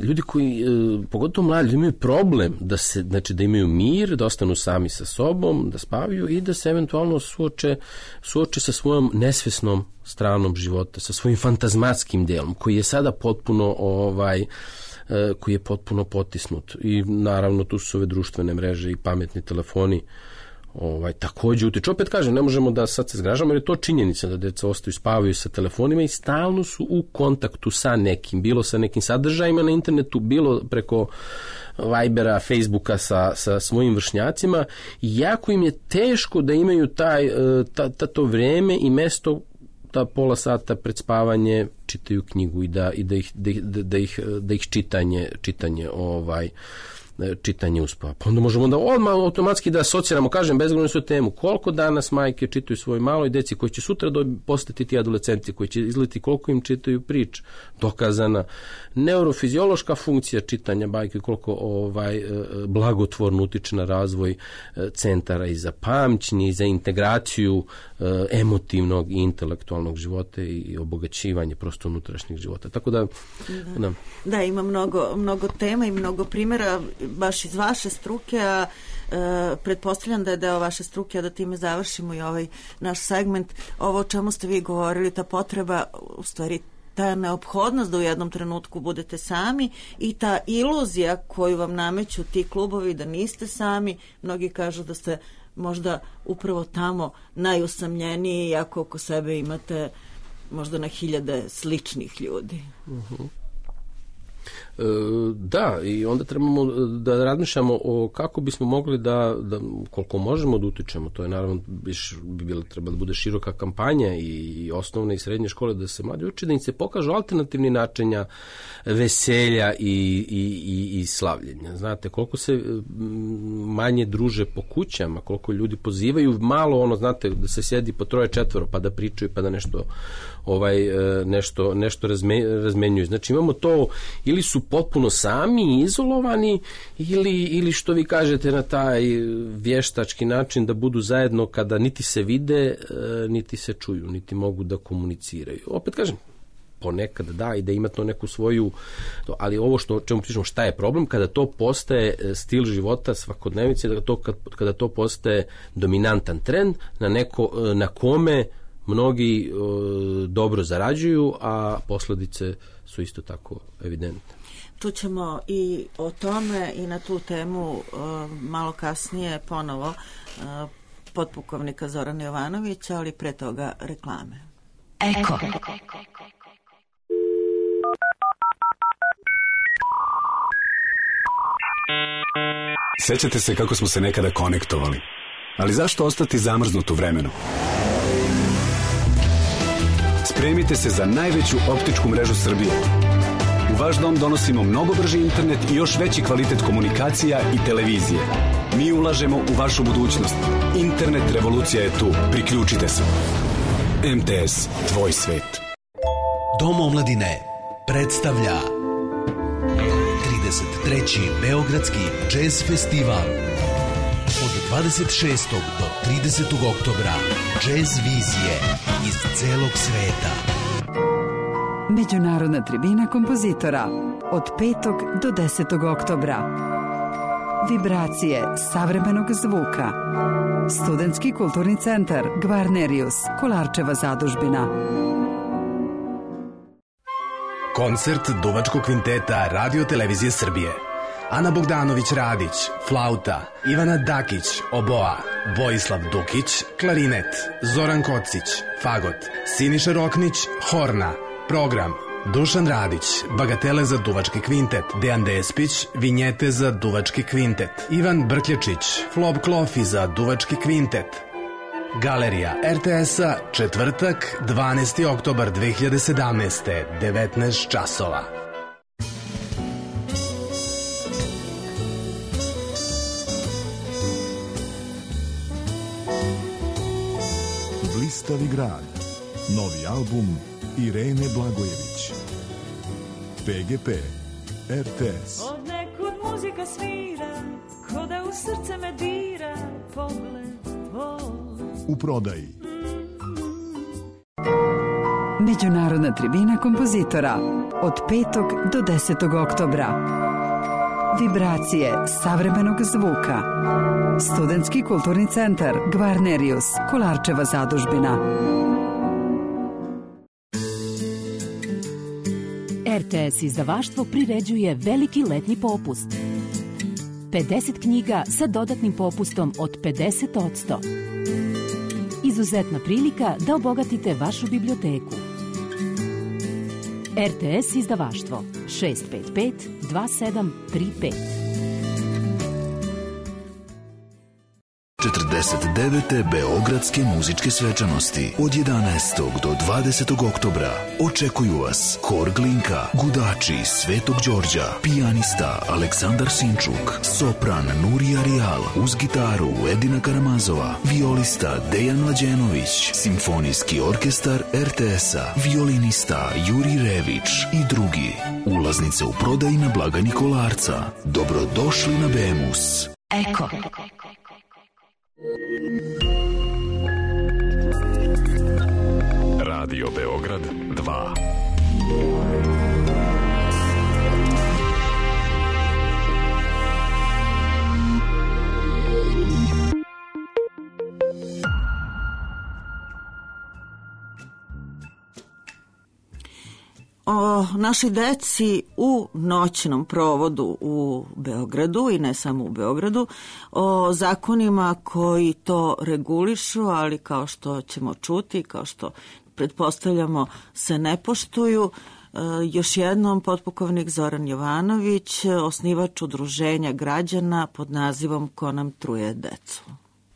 ljudi koji, pogotovo mladi, imaju problem da se, znači da imaju mir, da ostanu sami sa sobom, da spavaju i da se eventualno suoče, suoče sa svojom nesvesnom stranom života, sa svojim fantazmatskim delom, koji je sada potpuno ovaj koji je potpuno potisnut. I naravno tu su ove društvene mreže i pametni telefoni ovaj takođe utiču. Opet kažem, ne možemo da sad se zgražamo, jer je to činjenica da deca ostaju, spavaju sa telefonima i stalno su u kontaktu sa nekim, bilo sa nekim sadržajima na internetu, bilo preko Vibera, Facebooka sa, sa svojim vršnjacima, i jako im je teško da imaju taj, ta, ta, to vreme i mesto da pola sata pred spavanje čitaju knjigu i da, i da ih, da, da, da ih, da ih čitanje, čitanje ovaj čitanje uspava. Pa onda možemo da odmah automatski da asociramo, kažem, bezgledno su temu, koliko danas majke čitaju svoj maloj deci koji će sutra do, postati ti adolescenti, koji će izliti koliko im čitaju prič, dokazana neurofiziološka funkcija čitanja bajke, koliko ovaj blagotvorno utiče na razvoj centara i za pamćenje i za integraciju emotivnog i intelektualnog života i obogaćivanje prosto unutrašnjeg života. Tako da da, da. da ima mnogo, mnogo tema i mnogo primjera baš iz vaše struke, a e, pretpostavljam da je deo vaše struke, a da time završimo i ovaj naš segment. Ovo o čemu ste vi govorili, ta potreba, u stvari ta neophodnost da u jednom trenutku budete sami i ta iluzija koju vam nameću ti klubovi da niste sami. Mnogi kažu da ste možda upravo tamo najusamljeniji, iako oko sebe imate možda na hiljade sličnih ljudi. Uh-huh. E, da, i onda trebamo da razmišljamo o kako bismo mogli da, da koliko možemo da utičemo. To je naravno biš, bi bilo treba da bude široka kampanja i osnovne i srednje škole da se mladi uče, da im se pokažu alternativni načinja veselja i, i, i, i slavljenja. Znate, koliko se manje druže po kućama, koliko ljudi pozivaju malo ono, znate, da se sjedi po troje četvoro pa da pričaju pa da nešto ovaj nešto nešto razme, razmenjuju. Znači imamo to, ili su potpuno sami izolovani ili ili što vi kažete na taj vještački način da budu zajedno kada niti se vide, niti se čuju, niti mogu da komuniciraju. Opet kažem, ponekad da, i da ima to neku svoju, ali ovo što čemu pričamo, šta je problem kada to postaje stil života svakodnevice, da to kada to postaje dominantan trend na neko na kome mnogi o, dobro zarađuju, a posljedice su isto tako evidentne. Čućemo i o tome i na tu temu o, malo kasnije ponovo o, potpukovnika Zorana Jovanovića, ali pre toga reklame. Eko. Sećate se kako smo se nekada konektovali, ali zašto ostati zamrznut u vremenu? Spremite se za najveću optičku mrežu Srbije. U vaš dom donosimo mnogo brži internet i još veći kvalitet komunikacija i televizije. Mi ulažemo u vašu budućnost. Internet revolucija je tu. Priključite se. M T S, tvoj svet. Dom omladine predstavlja trideset treći Beogradski džez festival. Od dvadeset šestog do tridesetog oktobra džez vizije iz celog sveta. Međunarodna tribina kompozitora od petog do desetog oktobra. Vibracije savremenog zvuka. Studentski kulturni centar Gvarnerius, Kolarčeva zadužbina. Koncert Duvačkog kvinteta Radio Televizije Srbije. Ana Bogdanović-Radić, flauta, Ivana Dakić, oboa, Vojislav Dukić, klarinet, Zoran Kocić, fagot, Siniša Roknić, horna, program, Dušan Radić, bagatele za Duvački kvintet, Dejan Despić, vinjete za Duvački kvintet, Ivan Brkljačić, Flob Klofi za Duvački kvintet. Galerija R T S-a, četvrtak, dvanaesti oktobar dve hiljade sedamnaeste, devetnaest časova. Blistavi grad. Novi album Irene Blagojević. P G P, R T S. Od nekud muzika svira, ko da u srce me dira, pogled tvoj. U prodaji. Međunarodna tribina kompozitora od petog do desetog oktobra. Vibracije savremenog zvuka. Studentski kulturni centar Gvarnerius, Kolarčeva zadužbina. R T S izdavaštvo priređuje veliki letnji popust. pedeset knjiga sa dodatnim popustom od pedeset posto. Izuzetna prilika da obogatite vašu biblioteku. R T S izdavaštvo šest pet pet dva sedam tri pet. četrdeset devete Beogradske muzičke svečanosti od jedanaestog do dvadesetog oktobra. Očekuju vas Hor Glinka, Gudači Svetog Đorđa, pijanista Aleksandar Sinčuk, sopran Nurija Rijal, uz gitaru Edina Karamazova, violista Dejan Mlađenović, simfonijski orkestar R T S-a, violinista Juri Rević i drugi. Ulaznice u prodaji na blagajni Kolarca. Dobrodošli na Bemus. Eko. Radio Beograd dva. O našoj deci u noćnom provodu u Beogradu i ne samo u Beogradu, o zakonima koji to regulišu, ali kao što ćemo čuti, kao što pretpostavljamo se ne poštuju. Još jednom, potpukovnik Zoran Jovanović, osnivač udruženja građana pod nazivom Ko nam truje decu.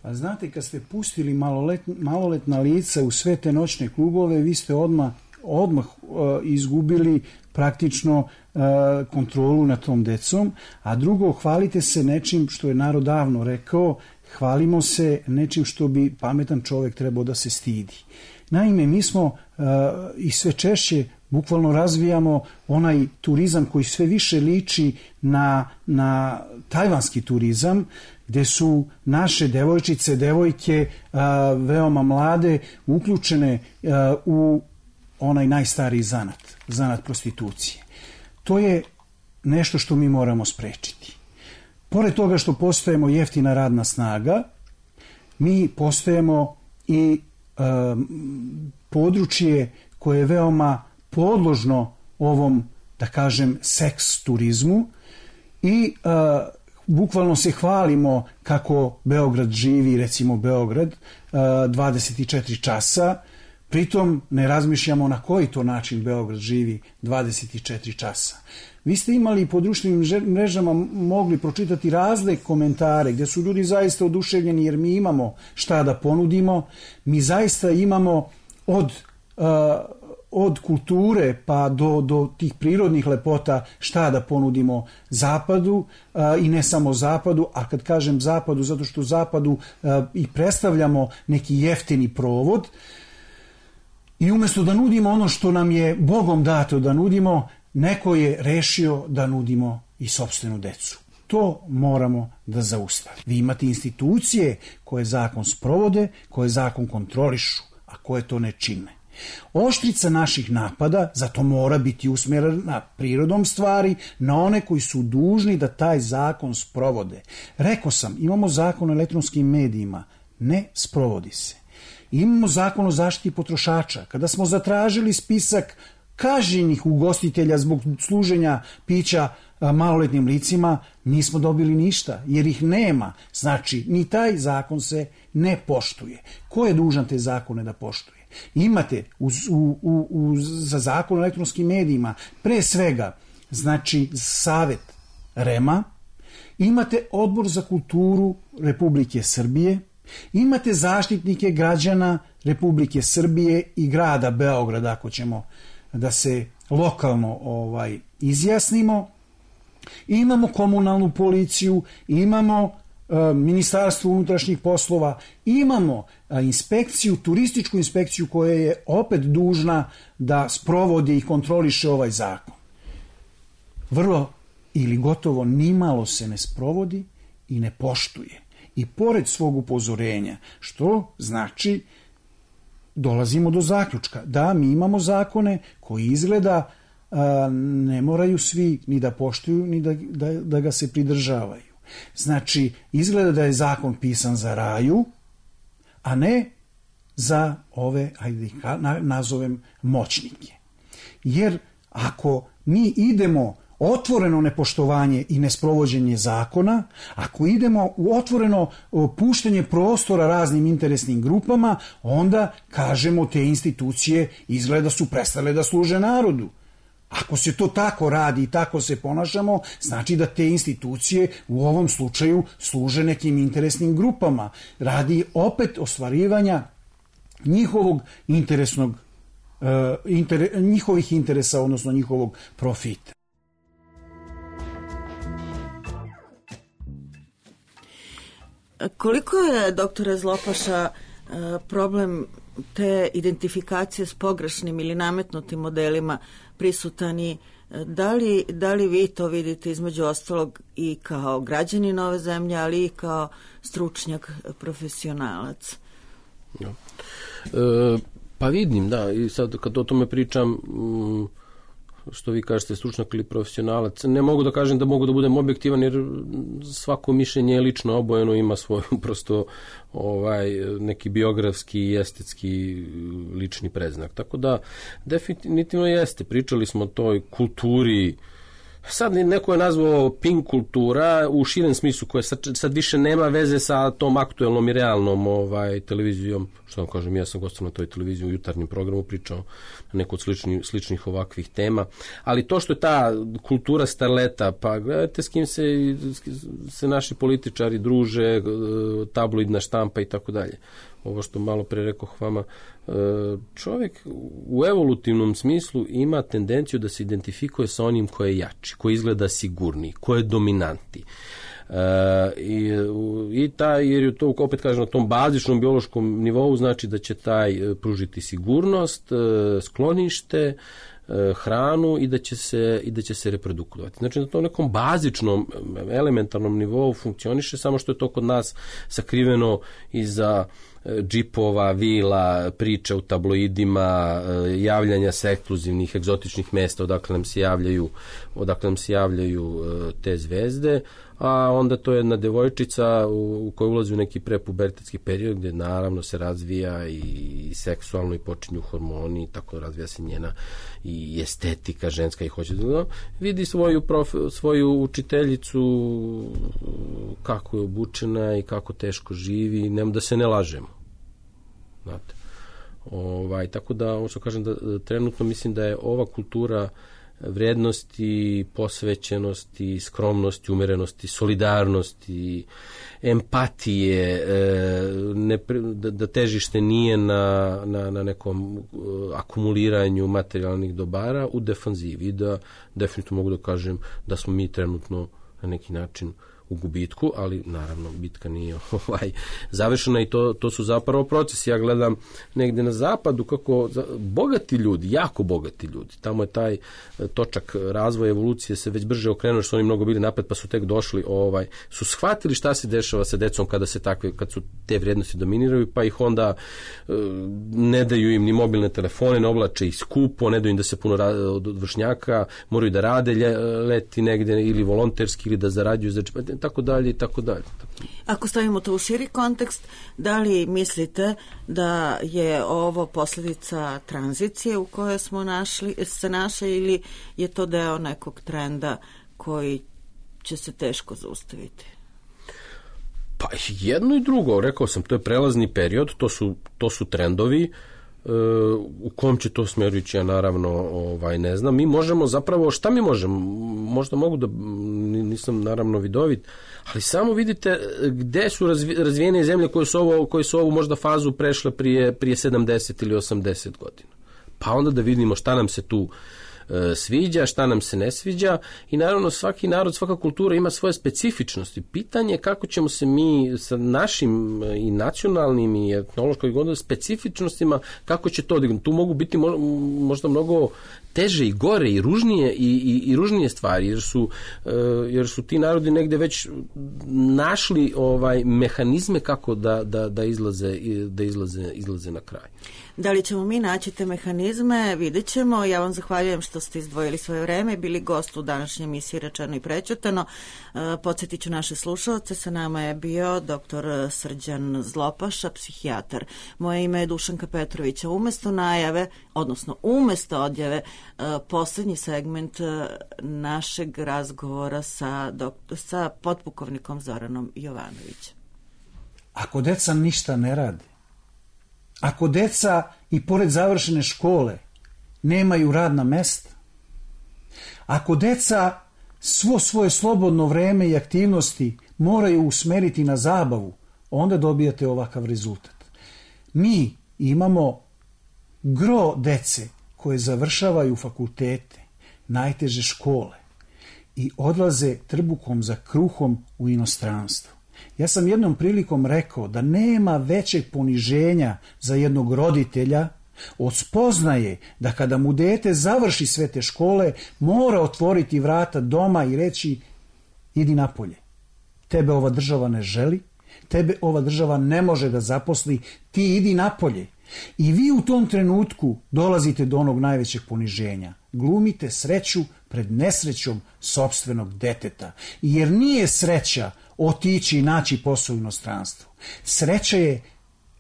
A znate, kad ste pustili malolet, maloletna lica u sve te noćne klubove, vi ste odmah, odmah uh, izgubili praktično uh, kontrolu nad tom decom, a drugo, hvalite se nečim što je narod davno rekao, hvalimo se nečim što bi pametan čovjek trebao da se stidi. Naime, mi smo uh, i sve češće bukvalno razvijamo onaj turizam koji sve više liči na, na tajvanski turizam, gdje su naše devojčice, devojke uh, veoma mlade, uključene uh, u onaj najstariji zanat, zanat prostitucije. To je nešto što mi moramo sprečiti. Pored toga što postajemo jeftina radna snaga, mi postajemo i um, područje koje je veoma podložno ovom, da kažem, seks turizmu i uh, bukvalno se hvalimo kako Beograd živi, recimo Beograd, uh, dvadeset četiri časa, pritom ne razmišljamo na koji to način Beograd živi dvadeset četiri časa. Vi ste imali po društvenim mrežama mogli pročitati razne komentare gdje su ljudi zaista oduševljeni jer mi imamo šta da ponudimo, mi zaista imamo od uh, od kulture pa do, do tih prirodnih lepota šta da ponudimo zapadu a, i ne samo zapadu, a kad kažem zapadu zato što zapadu a, i predstavljamo neki jeftini provod i umjesto da nudimo ono što nam je Bogom dato da nudimo, neko je rešio da nudimo i sopstvenu decu. To moramo da zaustavimo. Vi imate institucije koje zakon sprovode, koje zakon kontrolišu, a koje to ne čine. Oštrica naših napada zato mora biti usmjerena prirodom stvari na one koji su dužni da taj zakon sprovode. Rekao sam, imamo zakon o elektronskim medijima, ne sprovodi se. Imamo zakon o zaštiti potrošača. Kada smo zatražili spisak kažnjenih ugostitelja zbog služenja pića maloletnim licima, nismo dobili ništa, jer ih nema. Znači, ni taj zakon se ne poštuje. Ko je dužan te zakone da poštuje? Imate u, u, u, za zakon o elektronskim medijima pre svega, znači, Savet Rema, imate Odbor za kulturu Republike Srbije, imate zaštitnike građana Republike Srbije i grada Beograda, ako ćemo da se lokalno ovaj izjasnimo, imamo komunalnu policiju, imamo e, Ministarstvo unutrašnjih poslova, imamo e, inspekciju, turističku inspekciju koja je opet dužna da sprovodi i kontroliše ovaj zakon. Vrlo ili gotovo nimalo se ne sprovodi i ne poštuje. I pored svog upozorenja, što znači dolazimo do zaključka da mi imamo zakone koji izgleda a, ne moraju svi ni da poštuju ni da, da, da ga se pridržavaju. Znači, izgleda da je zakon pisan za raju, a ne za ove, ajde na, nazovem, moćnike. Jer ako mi idemo otvoreno nepoštovanje i nesprovođenje zakona, ako idemo u otvoreno puštanje prostora raznim interesnim grupama, onda kažemo te institucije izgleda su prestale da služe narodu. Ako se to tako radi i tako se ponašamo, znači da te institucije u ovom slučaju služe nekim interesnim grupama. Radi opet ostvarivanja njihovog interesnog, uh, inter, njihovih interesa, odnosno njihovog profita. Koliko je, doktore Zlopaša, problem te identifikacije s pogrešnim ili nametnutim modelima prisutan i da li, da li vi to vidite između ostalog i kao građanin ove zemlje, ali i kao stručnjak, profesionalac? Ja. E, pa vidim, da, i sad kad o tome pričam, što vi kažete, stručnjak ili profesionalac, ne mogu da kažem da mogu da budem objektivan, jer svako mišljenje je lično obojeno, ima svoj prosto ovaj, neki biografski i estetski lični predznak. Tako da definitivno jeste, pričali smo o toj kulturi sad neko je nazvao pink kultura u širem smislu, koja sad, sad više nema veze sa tom aktuelnom i realnom ovaj, televizijom. Što vam kažem, ja sam gostao na toj televiziji u jutarnjem programu, pričao na neko od sličnih, sličnih ovakvih tema. Ali to što je ta kultura starleta, pa gledajte s kim se, se naši političari druže, tabloidna štampa i tako dalje. Ovo što malo pre rekoh vama, čovjek u evolutivnom smislu ima tendenciju da se identifikuje sa onim ko je jači, ko izgleda sigurniji, ko je dominanti. Uh, i, i taj, jer je to, opet kažem, na tom bazičnom biološkom nivou znači da će taj uh, pružiti sigurnost, uh, sklonište, uh, hranu i da će se, i da će se reprodukovati. Znači na tom nekom bazičnom, elementarnom nivou funkcioniše, samo što je to kod nas sakriveno iza džipova, vila, priča u tabloidima, javljanja sa ekskluzivnih, egzotičnih mesta odakle nam se javljaju, odakle nam se javljaju te zvezde, a onda to je jedna devojčica u, u kojoj ulazi u neki prepubertetski period gdje naravno se razvija i seksualno i počinju hormoni, tako razvija se njena i estetika ženska i hoće da vidi svoju, prof, svoju učiteljicu kako je obučena i kako teško živi, nema da se ne lažemo. Znate. Ovaj, tako da, ovo što kažem, da trenutno mislim da je ova kultura vrednosti, posvećenosti, skromnosti, umerenosti, solidarnosti, empatije, ne, da, da težište nije na, na, na nekom akumuliranju materijalnih dobara u defanzivi, da definitivno mogu da kažem da smo mi trenutno na neki način u gubitku, ali naravno bitka nije ovaj završena i to, to su zapravo procesi. Ja gledam negde na zapadu kako bogati ljudi, jako bogati ljudi, tamo je taj točak razvoja evolucije se već brže okrenuo, što su oni mnogo bili napred pa su tek došli, ovaj, su shvatili šta se dešava sa decom kada se takve, kad su te vrijednosti dominiraju, pa ih onda e, ne daju im ni mobilne telefone, ne oblače ih skupo, ne daju im da se puno rade od vršnjaka, moraju da rade leti negde ili volonterski ili da zarađuju, znači tako dalje i tako dalje. Ako stavimo to u širi kontekst, da li mislite da je ovo posljedica tranzicije u kojoj smo našli, se našli ili je to deo nekog trenda koji će se teško zaustaviti? Pa jedno i drugo, rekao sam, to je prelazni period, to su, to su trendovi. U kom će to smeru ići, ja naravno ovaj, ne znam. Mi možemo zapravo, šta mi možemo? Možda mogu da, nisam naravno vidovit, ali samo vidite gde su razvijene zemlje koje su, ovo, koje su ovu možda fazu prešle prije, prije sedamdeset ili osamdeset godina. Pa onda da vidimo šta nam se tu sviđa, šta nam se ne sviđa i naravno svaki narod, svaka kultura ima svoje specifičnosti. Pitanje je kako ćemo se mi sa našim i nacionalnim i etnološkim specifičnostima, kako će to odigrati. Tu mogu biti možda mnogo teže i gore i ružnije i, i, i ružnije stvari, jer su, jer su ti narodi negde već našli ovaj mehanizme kako da, da, da izlaze, da izlaze, izlaze na kraj. Da li ćemo mi naći te mehanizme, vidjet ćemo. Ja vam zahvaljujem što ste izdvojili svoje vreme, bili gost u današnjoj emisiji Rečeno i prećutano. Podsjetit ću naše slušalce, sa nama je bio doktor Srđan Zlopaša, psihijatar. Moje ime je Dušanka Petrovića. Umesto najave, odnosno umesto odjave, poslednji segment našeg razgovora sa, doktor, sa potpukovnikom Zoranom Jovanovićem. Ako deca ništa ne rade, ako deca i pored završene škole nemaju radna mesta, ako deca svo svoje slobodno vreme i aktivnosti moraju usmeriti na zabavu, onda dobijate ovakav rezultat. Mi imamo gro dece koje završavaju fakultete, najteže škole i odlaze trbukom za kruhom u inostranstvo. Ja sam jednom prilikom rekao da nema većeg poniženja za jednog roditelja od spoznaje da kada mu dete završi sve te škole, mora otvoriti vrata doma i reći idi napolje. Tebe ova država ne želi, tebe ova država ne može da zaposli, ti idi napolje. I vi u tom trenutku dolazite do onog najvećeg poniženja. Glumite sreću pred nesrećom sopstvenog deteta. Jer nije sreća otići i naći posao u inostranstvu. Sreća je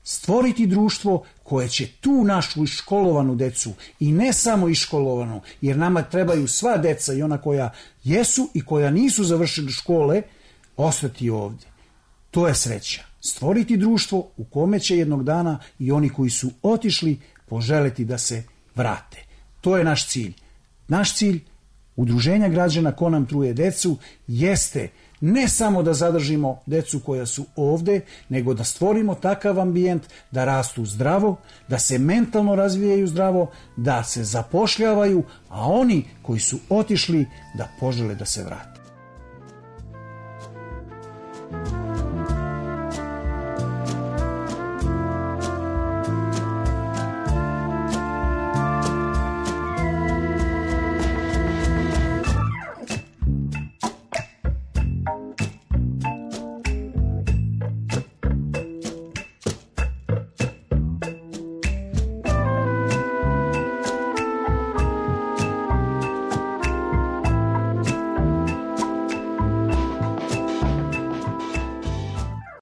stvoriti društvo koje će tu našu iškolovanu decu, i ne samo iškolovanu, jer nama trebaju sva deca, i ona koja jesu i koja nisu završili škole, ostati ovdje. To je sreća. Stvoriti društvo u kome će jednog dana i oni koji su otišli poželeti da se vrate. To je naš cilj. Naš cilj Udruženja građana Ko nam truje decu jeste ne samo da zadržimo decu koja su ovde, nego da stvorimo takav ambijent da rastu zdravo, da se mentalno razvijaju zdravo, da se zapošljavaju, a oni koji su otišli da požele da se vrate.